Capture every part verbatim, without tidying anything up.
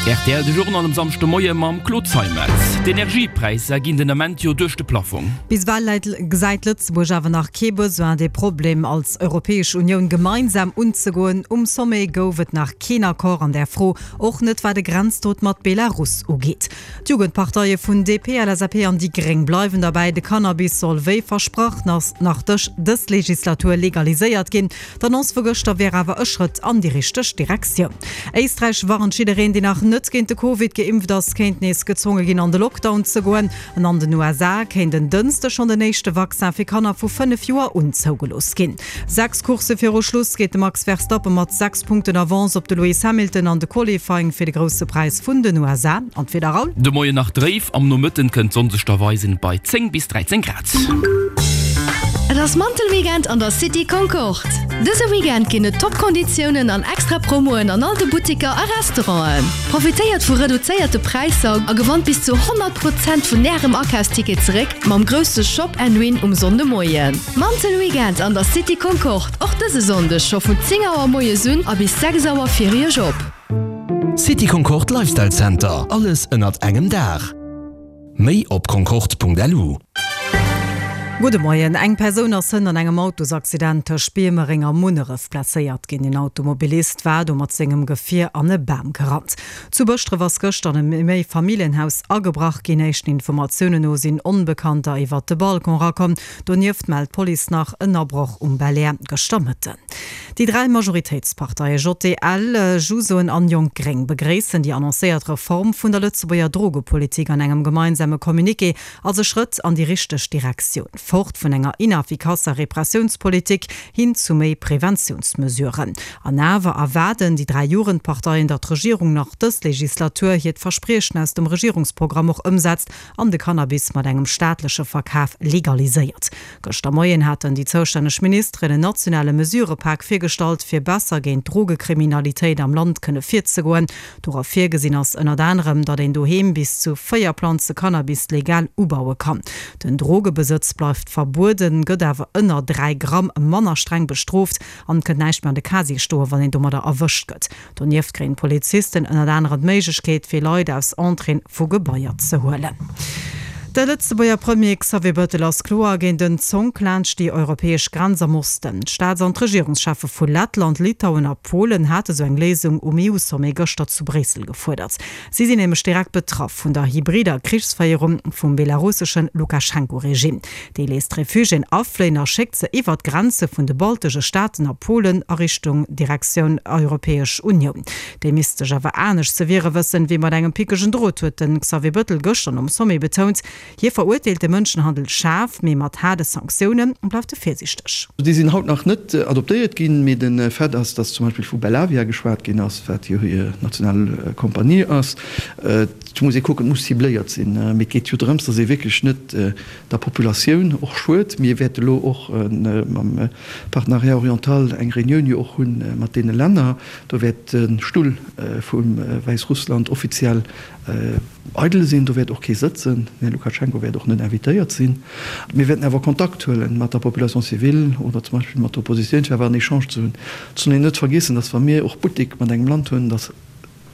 R T L de Journal um Samschdemoie mam Claude Zeimetz. D'Energiepräisser ginn den Ament jo duerch de Plafong. Bis ewell gesäit Lëtzebuerg awer nach kee Besoin, de Problem als Europäesch Unioun gemeinsam unzegoen. Um Sommet gouf et nach keen Accord an der Fro, och net wat de Grenzdot mat Belarus ugeet. D'Jugendparteie vun D P, L S A P an déi Gréng bleiwen derbäi, de Cannabis soll wéi versprach nach dës Legislatur legaliséiert ginn. D'Annonce vu gëschter wier awer e Schrëtt an déi richteg Direktioun. Éisträich warnt jiddereen, deen nach net géint de Covid geimpft ass, kéint nees gezwonge ginn, an de Lockdown ze goen. An an den U S A kéint en Dënschdeg schonn den éischte Vaccin fir Kanner vu fënnef Joer un zougelooss ginn. Sechs Coursse viru Schluss geet de Max Verstappen mat sechs Punkten Avance op de Lewis Hamilton an de Qualifying fir de Grousse Präis vun den U S A. An d'Wieder, Raoul? De Moien nach dréif, am Nomëtten kënnt d'Sonn sech da weisen bei zéng bis dräizéng Grad. Et ass Mantelweekend an der City Concorde. Dëse Weekend ginn et Top-Konditiounen an extra Promoen an all de Butteker a Restauranten. Profitéiert vu reduzéierte Präisser a gewannt bis zu honnert Prozent vun ärem Akafsticket zeréck mam grousse Shop and Win um Sonndemoien. Mantelweekend an der City Concorde, och dëse Sonndeg scho vun zéng Auer moies un a bis sechs Auer fir iech op. City Concorde Lifestyle Center, alles ënnert engem Daach. Méi op concorde Punkt L U. Gudde Moien. Eng Persoun ass hënt an engem Autosaccident tëscht Biermereng a Munneref blesséiert ginn. En Automobilist war do mat sengem Gefier an e Bam gerannt. Zu Bëschdref ass gëschter an e Méifamilljenhaus agebrach ginn. Éischten Informatiounen no sinn Onbekannter iwwer de Balcon erakomm. Donieft mellt d'Police nach en Abroch um Belair gëschter Mëtten. Déi dräi Majoritéitsparteie J D L, Jusoen an Jonk Gréng begréissen déi annoncéiert Reform vun der Lëtzebuerger Drogepolitik an engem gemeinsame Communiqué als e Schrëtt an déi richteg Direktioun. Fort vun enger ineffikasser Repressiounspolitik hin zu méi Preventiounsmesuren. An awer erwaarden déi dräi Jugendparteien, datt d'Regierung nach dës Legislatur hiert Verspriechen aus dem Regierungsprogramm och ëmsetzt an de Cannabis mat engem staatleche Verkaf legaliséiert. Gëschter Moien haten déi zoustänneg Ministeren en nationale Mesurëpak virgestallt, fir besser géint Drogekriminalitéit am Land kënne virzegoen. Dora virgesinn ass ënnert anerem, datt een doheem bis zu véier Planze Cannabis legal ubaue kann. Den Drogebesëtz bleift verbueden, gëtt awer ënner dräi Gramm manner streng bestrooft an kënnt näischt méi an de Casier stoen, wann een domadder erwëscht gëtt. Donieft kréien Polizisten ënnert anerem d'Méiglechkeet, fir Leit aus Entréeë vu Gebaier ze huelen. De Lëtzebuerger Premier Xavier Bettel ass kloer géint den Zonk laanscht déi europäesch Grenz am Osten. D'Staats- an d'Regierungscheffe vu Lettland, Litauen a Polen hate sou eng Léisung um E U-Sommet gëschter zu Bréissel gefuerdert. Si sinn nämlech direkt betraff vun der hybrider Krichsféierung vum belarussesche Lukaschenko-Regime. Dee léisst Refugiéen afléien a schéckt se iwwer d'Grenze vun de baltesche Staaten a Polen a Richtung Direktioun Europäesch Unioun. Déi misst sech awer anescht ze wiere wëssen, wéi mat engem pickegen Drot, huet de Xavier Bettel gëschter um Sommet betount. Hie verurteelt de Mënschenhandel schaarf, mee mat haarde Sanktioune bleift e virsiichteg. Déi sinn haut nach net adoptéiert ginn, mee de Fait ass, datt zum Beispill vu Belavia geschwat ginn ass, wat jo hir national Kompanie ass. Et muss ee kucken, et muss cibléiert sinn. Mee et geet jo drëms, datt ee wierklech net der Populatioun och schued. Mir wäerte lo och mam Partenariat oriental eng Reunioun jo och hunn mat deene Länner. Do wäert de Stull vum Wäissrussland offiziell eidel sinn, do wäert och kee sëtzen. Den Här Lukaschenko wäert och net invitéiert sinn. Mir wäerten awer Kontakt huele mat der Population civile oder zum Beispill mat der Oppositioun, fir awer en Echange ze hunn. Et soll een net vergiessen, datt wa mir och Buttek mat engem Land hunn, datt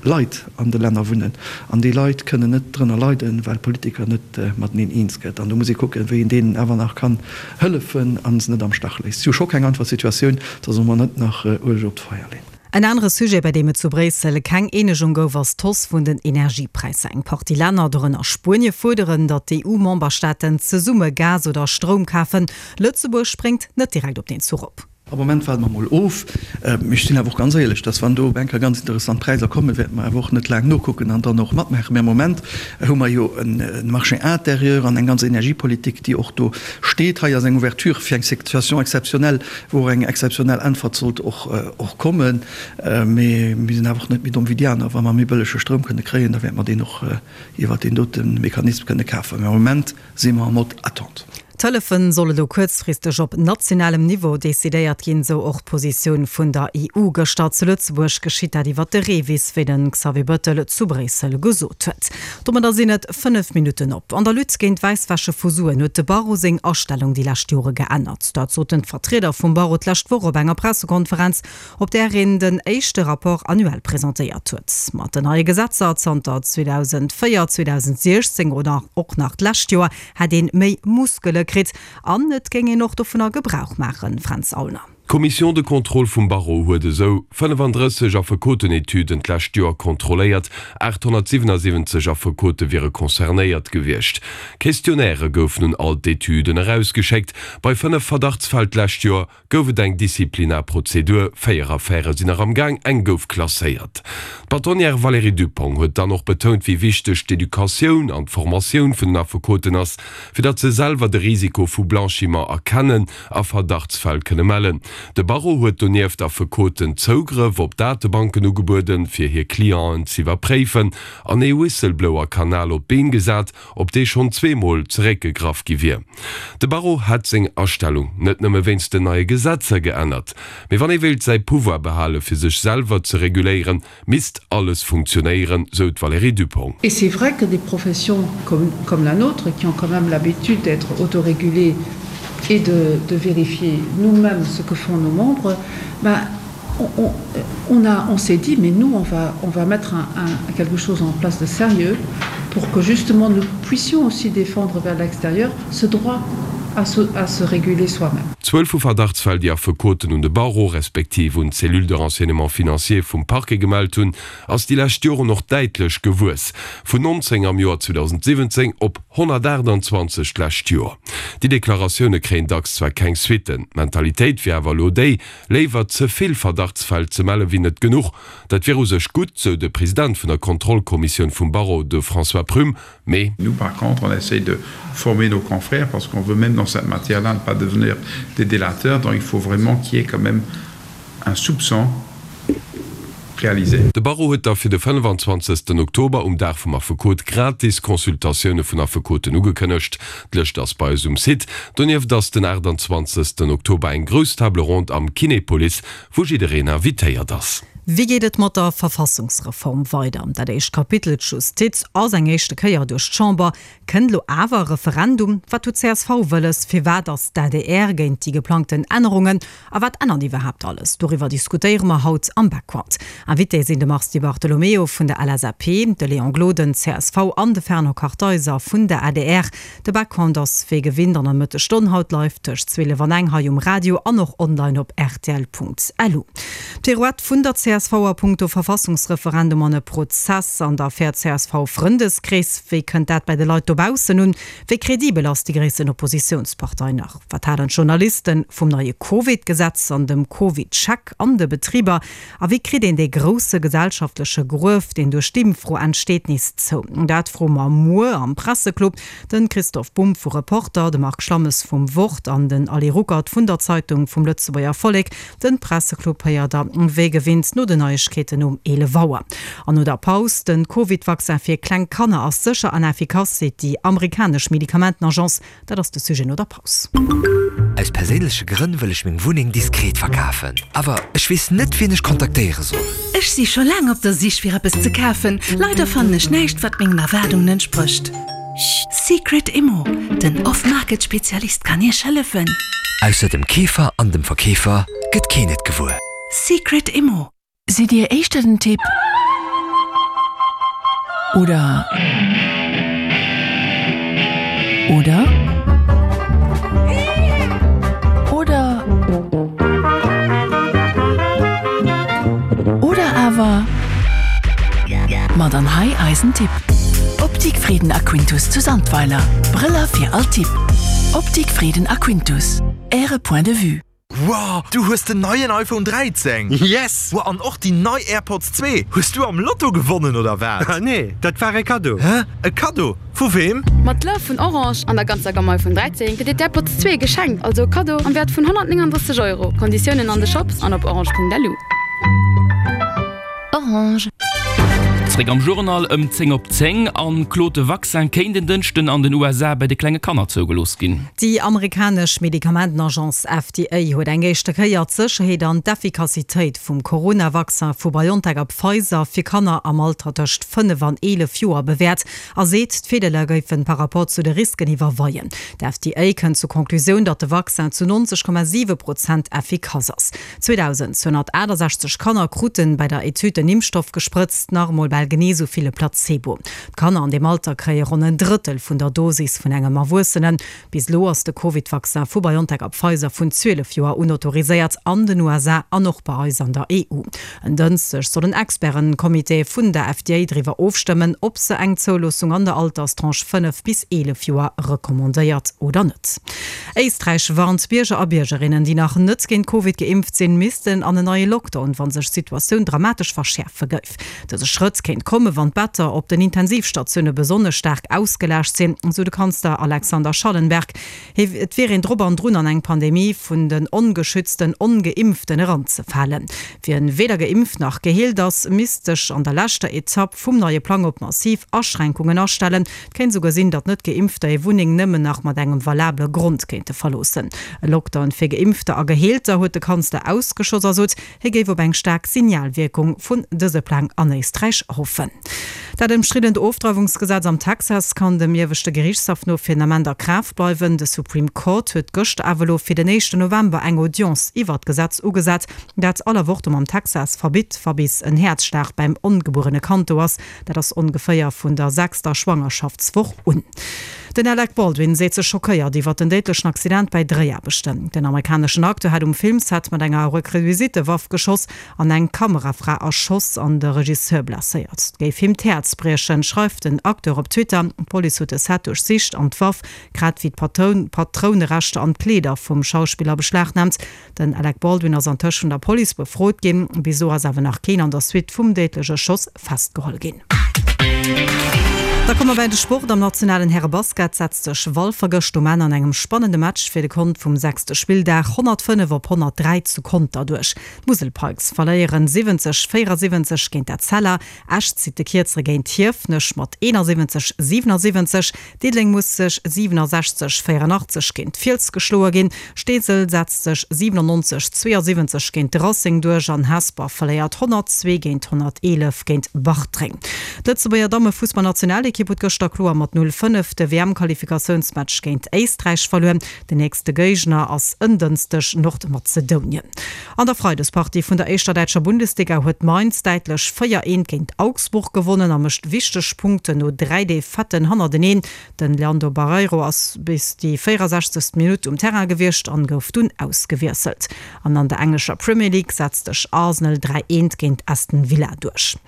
Leit an de Länner wunnen an déi Leit kënnen net drënner leiden, well Politiker net mateneen eens gëtt. An do muss ee kucken, wéi een deenen awer nach kann hëllefen a se net am Stach léisst. Et ass jo scho keng einfach Situatioun, da solle mer net nach Ueleg op d'Feier leeën. En anere Sujet, bei deem et zu Bréissel keng Eenegung gouf, ass d'Hausse vun den Energiepräisser. Eng Partie Länner, dorënner Spuenie, fuerderen, datt d'E U-Memberstaaten zesumme Gas oder Stroum kafen. Lëtzebuerg spréngt net direkt op den Zuch op. Am Moment waarde mer mol of. Mee ech sinn awer och ganz éierlech, dass wann do op eng Kéier ganz interessant Präisser kommen, wäerte mer awer och net laang nokucken an dann och matmaachen. Mee am Moment hu mer jo e Marché intérieur an eng ganz Energiepolitik, déi och do steet. Hei ass eng Ouverture fir eng Situation exceptionnelle, wou och eng exceptionnel Äntwert sollt och och kommen. Mee mir sinn awer och net méi domm wéi déi aner. Wa mer méi bëllege Stroum kënne kréien, da wäerte mer deen och iwwert deen dote Mechanisme kënne kafen. Mee am Moment si mer en mode attente. D'Hëllefen solle lo kuerzfristeg op nationalem Niveau decidéiert ginn, sou och d'Positioun vun der E U gëschter. Zu Lëtzebuerg geschitt dat iwwer de REVIS, wéi den Xavier Bettel zu Bréissel gesot huet. Domadder sinn et fënnef Minutten op. An der Lutte géint d'Wäisswäsche vu Suen huet de Barreau seng Astellung déi lescht Jore geännert. Dat soten d'Vertrieder vum Barreau d'lescht Woch op enger Pressekonferenz, op där een den éischte Rapport annuel presentéiert huet. Mat den neie Gesetzer zanter zweedausendvéier, zweedausendsiechzéng oder och nach d'lescht Joer hätt een méi Muskele kritt an et géing een och dovunner Gebrauch maachen, Fränz Aulner. D'Commission de contrôle vum Barreau huet esou fënnefandrësseg Affekotenetüden d'lescht Joer kontrolléiert, aathonnertsiwenasiwwenzeg Affekote wiere concernéiert gewiescht. Questionnairë goufen un all d'Etüden erausgeschéckt. Bei fënnef Verdachtsfäll d'lescht Joer gouf et eng Disziplinarprozedur, véier Affäre sinn nach am Gaang, eng gouf klasséiert. D'Bâtonnière Valérie Dupong huet dann och betount, wéi wichteg d'Educatioun an d'Formatioun vun den Affekoten ass, fir datt se selwer de Risiko vu Blanchiment erkennen a Verdachtsfäll kënne mellen. De Barreau huet donieft Affekoten Zougrëff op Datebanken ugebueden, fir hir Clienten z'iwwerpréifen, an ee Whistleblower-Kanal op d'Been gesat, op dee schonn zweemol zeréckgegraff gi wier. De Barreau hätt seng Astellung net nëmme wéinst den neie Gesetzer geännert, mee wann ee wéilt säi Pouvoir behale fir sech selwer ze reguléieren, misst alles funktionéieren, sou d'Valérie Dupong. Et c'est vrai que des professions comme, comme la nôtre, qui ont quand même l'habitude d'être autorégulées et de, de vérifier nous-mêmes ce que font nos membres, ben, on, on, on, a, on s'est dit, mais nous, on va, on va mettre un, un, quelque chose en place de sérieux pour que justement nous puissions aussi défendre vers l'extérieur ce droit à se, à se réguler soi-même. D'Zuel vu Verdachtsfäll, déi Affekoten un de Barreau respektiv un d'Cellule de renseignement financier vum Parquet gemellt hunn, ass déi lescht Joren och däitlech gewuess, vun nonzéng am Joer zweedausendsiwwenzéng op honnertaachtanzwanzeg d'lescht Joer. Déi Deklaratioune kréien dacks zwar keng Suitten, d'Mentalitéit wier awer elo déi, léiwer ze vill Verdachtsfäll ze melle wéi net genuch. Dat wier u sech gutt, sou de President vun der Kontrollkommissioun vum Barreau, de François Prüm, mee. Nous, par contre, on essaye de former nos confrères parce qu'on veut même dans cette matière-là ne pas devenir des délateurs, donc il faut vraiment qu'il y ait quand même un soupçon réalisé. De Barreau huet da fir de fënnefanzwanzegsten Oktober, um Dag vum Affekot, gratis Consultatioune vun Affekoten ugekënnegt. D'Lëscht ass bei eis um Site. Donieft ass den aachtanzwanzegsten Oktober eng grouss Table ronde am Kinepolis, wou jiddereen invitéiert ass. Wéi geet et mat der Verfassungsreform weider? Dat éischt Kapitel, d'Justiz, ass eng éischte Kéier duerch d'Chamber. Kënnt lo awer e Referendum? Wat huet d'C S V wëlles? Firwat ass d'A D R géint déi geplangten Ännerungen? A wat ännert iwwerhaapt alles? Doriwwer diskutéiere mer haut am Background. Invité sinn de Mars Di Bartolomeo vun der L S A P, de Léon Gloden, C S V, an de Fernand Kartheiser vun der A D R. De Background ass wéi gewinnt an der Mëttesstonn haut live tëscht zwielef an eng hei um Radio an och online op R T L Punkt L U. D'Pirouette vun der C S V a punkto Verfassungsreferendum an e Prozess an der Affär C S V-Frëndeskrees. Wéi kënnt dat bei de Leit dobaussen un? Wéi kredibel ass déi gréissten Oppositiounspartei nach? Wat halen d'Journaliste vum neie Covid-Gesetz an dem Covid-Check an de Betriber? A wéi kritt een dee grousse gesellschaftleche Gruef, deen duerch d'Impffro entsteet, nees zou? Dat froe mer muer am Presseclub. De Christoph Bumb vu Reporter, de Marc Schlammes vum Wort an den Ali Ruckert vun der Zeitung vum Lëtzebuerger Vollek. De Presseclub héiert der wéi gewinnt no den Neiegkeeten um eelef Auer. An no der Paus, Den Covid-Vaccin fir kleng Kanner ass sécher an effikass, seet déi amerikanesch Medikamentenagence. Dat ass de Sujet no der Paus. Aus perséinleche Grënn wëll ech meng Wunneng diskret verkafen. Awer ech weess net, wien ech kontaktéiere soll. Ech si scho laang op der Sich fir eppes ze kafen. Leider fannen ech näischt, wat mengen Erwaardungen entsprécht. Secret Immo, den Off-Market-Spezialist kann Iech hëllefen. Ausser dem Keefer an dem Verkeefer gëtt keen et gewuer. Secret Immo. Sidd Dir éischter den Typ oder oder oder oder awer? Ma dann hei eisen Tipp. Optik Frieden a Quintus zu Sandweiler. Brëller fir all Typ. Optik Frieden a Quintus. Äre Point de vue. Wow, du hues den neien iPhone dräizéng? Yes! Wow, an och déi nei AirPods zwee. Hues du am Lotto gewonnen oder wat? Nee, dat war e Kaddo. Hä? E Kaddo? Vu wem? Mat Love vun Orange an der ganzer Gamme iPhone dräizéng kritt dir d'AirPods zwee geschenkt, also e Kaddo am Wäert vun honnertnénganddrësseg Euro. Konditiounen an de Shops an op orange Punkt lu. Orange. Zréck am Journal ëm zéng op zéng. An Claude, de Vaccin kéint en Dënschden an den U S A bei de klenge Kanner zougelooss ginn. Déi amerikanesch Medikamentenagence F D A huet eng éischte Kéier d'Sécherheet an d'Effikassitéit vum Corona-Vaccin vu BioNTech a Pfizer fir Kanner am Alter tëscht fënnef an eelef Joer bewäert a seet, d'Virdeeler géifen par rapport zu de Risken iwwerweien. D'F D A kënnt zur Conclusioun, datt de Vaccin zu neunzeg Komma siwe Prozent effikass ass. zweitausendzweihundertachtundsechzig Kanner kruten bei der Etüd den Impfstoff gesprëtzt, nach emol bal genee sou ville Placebo. D'Kanner an dem Alter kréie ronn en Drëttel vun der Dosis vun engem Erwuessenen. Bis elo ass de Covid-Vaccin vu BioNTech a Pfizer vun zwielef Joer unautoriséiert an den U S A an och bei eis an der E U. En Dënschdeg soll en Expertencomité vun der F D A driwwer ofstëmmen, ob se eng Zouloossung an der Alterstranche fënnef bis eelef Joer recommandéiert oder net. Éisträich warnt Bierger a Biergerinnen, déi nach net géint Covid geimpft sinn, missten an en neie Lockdown, wann sech d'Situatioun dramatesch verschäerfe géif. Dëse Schrëtt kéint komme, wann d'Better op den Intensivstatioune besonnesch staark ausgelaascht sinn, sou de Kanzler Alexander Schallenberg. Et wier een drop an drun an eng Pandemie vun den ongeschützten, ongeimpften heranzefalen. Wien weder geimpft nach geheelt ass, misst sech an der leschter Etapp vum neie Plang op massiv Aschränkungen astellen. Et kéint souguer sinn, datt net geimpfter hir Wunneng nëmmen nach mat engem valabele Grond kéinte verloossen. E Lockdown fir Geimpfter a Geheelter huet de Kanzler ausgeschoss a sot, hie géif op eng staark Signalwirkung vun dëse Plang an Éisträich hoffen. Dat ëmstriddent Ofdreiwungsgesetz am Texas kann dem ieweschte Gerichtshaff no fir den Ament a Kraaft bleiwen. De Supreme Court huet gëschter awer elo fir den éischten November eng Audience iwwer d'Gesetz ugesat, dat all Avortum am Texas verbitt, wa bis en Häerzschlag beim ongebuerene Kand do ass. Dat ass ongeféier vun der sechster Schwangerschaftswoch un. Den Alec Baldwin seet sech schockéiert iwwer den déidlechen Accident bei Dréiaarbechten. Den amerikaneschen Acteur hat um Filmset mat enger Requisitewaff geschoss an eng Kamerafra erschoss an de Regisseur blesséiert. Géif him d'Häerz briechen, schreift den Acteur op Twitter. D'Police huet de Set duerchsicht an d'Waff, grad wéi d'Patroun-, Patrounerechter an d'Kleeder vum Schauspiller beschlagnahmt. Den Alec Baldwin ass antëscht vun der Police befrot ginn. Bis elo ass awer nach keen an der Suite vum déidleche Schoss festgeholl ginn. Da komme wir bei den Sport. Am nationalen Herrebasket setzt sech Walfer gëscht um Enn an engem spannende Match fir de Kont vum sechste Spilldag hundertfënnef op hundertdräi zu Konter duerch. D'Musel Pikes verléieren siwwenzeg véierundsiwwenzeg géint Etzella. Esch zitt de Kierzere géint Hiefenech mat eenundsiwwenzeg siebenundsiwwenzeg. Diddeleng muss sech siebenundsechzeg vierundachtzeg géint Fiels geschloe ginn. Steesel setzt sech siebenundneunzeg zweiundsiwwenzeg géint Racing duerch an Hesper verléiert hundertzwee géint hunderteelef géint Bartreng. D'Lëtzebuerger Damme-Fussballnationalekipp huet gëschter kloer mat null fënnef de W M-Qualifikatiounsmatch géint Éisträich verluer. Den nächste Géigner ass en Dënschdeg Nordmazedonien. An der Freidespartie vun der éischter däitscher Bundesliga huet Mainz däitlech véier eent géint Augsburg gewonnen a mécht wichteg Punkte no dräi Defetten hannerteneen. Den Leandro Barreiro ass bis déi vierundsechzegste Minutt um Terrain gewiescht an gouf dunn ausgewiesselt. An an der englescher Premier League setzt sech Arsenal dräi eent géint Aston Villa duerch.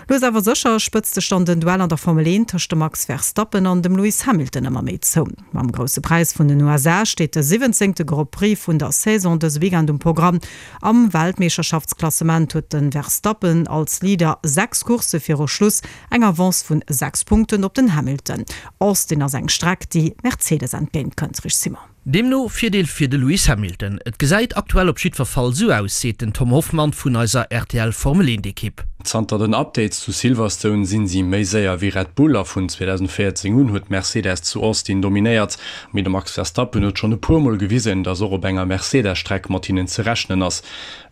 Lues awer sécher spëtzt sech dann den Duell an der Formel eent tëscht dem Max Verstappen an dem Lewis Hamilton ëmmer méi zou. Mam grousse Preis vun den U S A steet de siwwenzéngte Grand Prix vun der Saison dëse Weekend um Programm. Am Weltmeeschterschaftsklassement huet den Verstappen als Leader sechs Coursse viru Schluss eng Avance vun sechs Punkten op den Hamilton. Austin ass eng Streck, déi Mercedes entgéint kënnt, Rich Simon. Deemno Virdeel fir de Lewis Hamilton. Et gesäit aktuell op jiddwer Fall sou aus, seet den Tom Hoffmann vun eiser R T L Formel eent Ekipp. Zanter den Updates zu Silverstone sinn si méi séier wéi Red Bull a vun zweitausendvéierzéng un huet Mercedes zu Austin dominéiert. Mee de Max Verstappen huet schonn e puermol gewisen, datt och op enger Mercedes-Streck mat hinnen ze rechnen ass.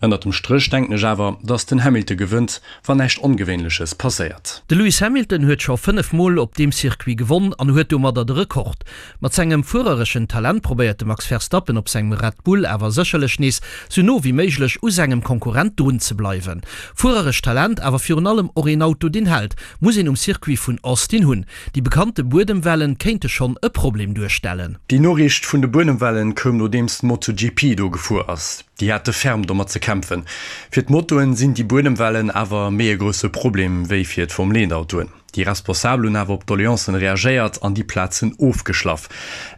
Ënner dem Stréch denken ech awer, datt den Hamilton gewënnt, wann näischt Ongewéinleches passéiert. De Lewis Hamilton huet scho fënnef Mol op deem Circuit gewonn an huet domadder de Rekord. Mat sengem fuerereschen Talent probéiert de Max Verstappen op sengem Red Bull awer sécherlech nees sou no wéi méiglech u sengem Konkurrent drun ze bleiwen. Fuereresch Talent, awer virun allem och een Auto deen hält, muss een um Circuit vun Austin hunn. Déi bekannte Buedemwellen kéinte schonn e Problem duerstellen. Déi Noriicht vun de Buedemwellen koum nodeems d'MotoGP do gefuer ass. Déi hate ferm domat ze kämpfen. Fir d'Motoen sinn déi Buedemwellen awer méi e grousse Problem wéi fir d'Formel-eent-Autoen. Déi Responsabel hunn awer op d'Doleancen reagéiert an déi Plazen ofgeschlaff.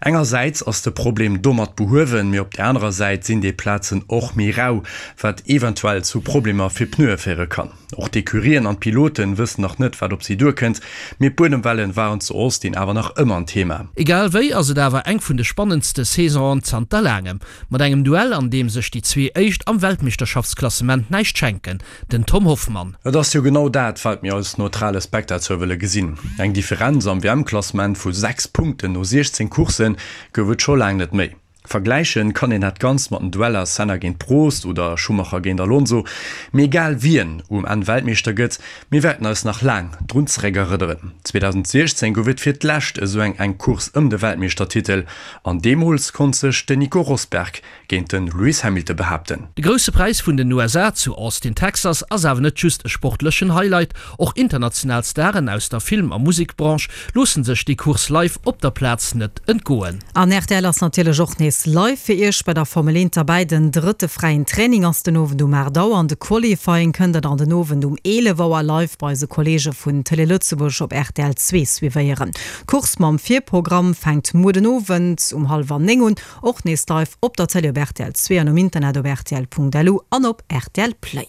Engersäits ass de Problem domat behuewen, mee op der anerer Säit sinn déi Plazen och méi rau, wat eventuell zu Problemer fir Pneue féiere kann. Och d'Ecurien an d'Piloten wëssen nach net, wat op si duerkënnt, mee d'Buedemwellen waren zu Austin awer nach ëmmer en Thema. Egal wéi ass et awer eng vun de spannendste Saisonen zanter laangem. Mat engem Duell, an deem sech déi zwee Éischt am Weltmeeschterschaftsklassement näischt schenken, den Tom Hoffmann. Et ass jo genau dat, wat mir als neutrale Spectateur wëlle gesinn. Eng Differenz am WM-Klassement vu sechs Punkten no siechzéng Coursse gouf et scho laang net méi. Vergläichen kann een dat Ganzt mat den Dueller Senna géint Prost oder Schumacher géint Alonso. Mee egal wien um Enn Weltmeeschter gëtt, mir wäerten eis nach laang drun zeréckerënneren. zweedausendsiechzéng gouf et fir d'lescht esou eng enk Course ëm de Weltmeeschtertitel an deemools konnt sech den Nico Rosberg géint de Lewis Hamilton behaapten. De Grousse Präis vun den U S A zu Austin, Texas ass awer net just e sportlechen Highlight. Och international Staren aus der Film a Musekbranche loosse sech déi Course live op der Plaz net entgoen. An R T L ass natierlech och nees live fir Iech bei der Formel eent derbäi. Den drëtte fräien Training ass den Owend um aacht Auer an de Qualifying kënnt der dann den Owend um eelef Auer live bei eise Kolleege vun Télé Lëtzebuerg op R T L zwee suivéieren. D'Course mam Virprogramm fänkt muer den Owend um hallwer néng un, och nees live op der Télé op R T L zwee an um Internet op rtl Punkt L U an op R T L Play.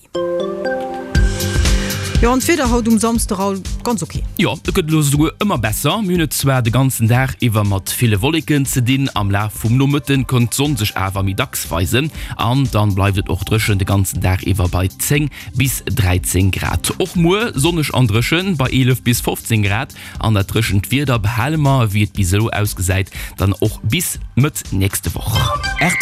Jo, an d'Wieder haut um Samsdeg all ganz ok. Jo, et gëtt elo esouguer ëmmer besser. Mir hunn et zwar de ganzen Dag iwwer mat ville Wolleken ze dinn, am Laf vum Nomëtten kënnt d'Sonn sech awer méi dacks weisen an dann bleift et och dréchen de ganzen Dag iwwer bei zéng bis dräizéng Grad. Och muer sonneg an dréchen bei eelef bis fofzéng Grad an dat dréchent Wieder behale mer, wéi et bis elo ausgesäit, dann och bis Mëtt nächste Woch. R T L.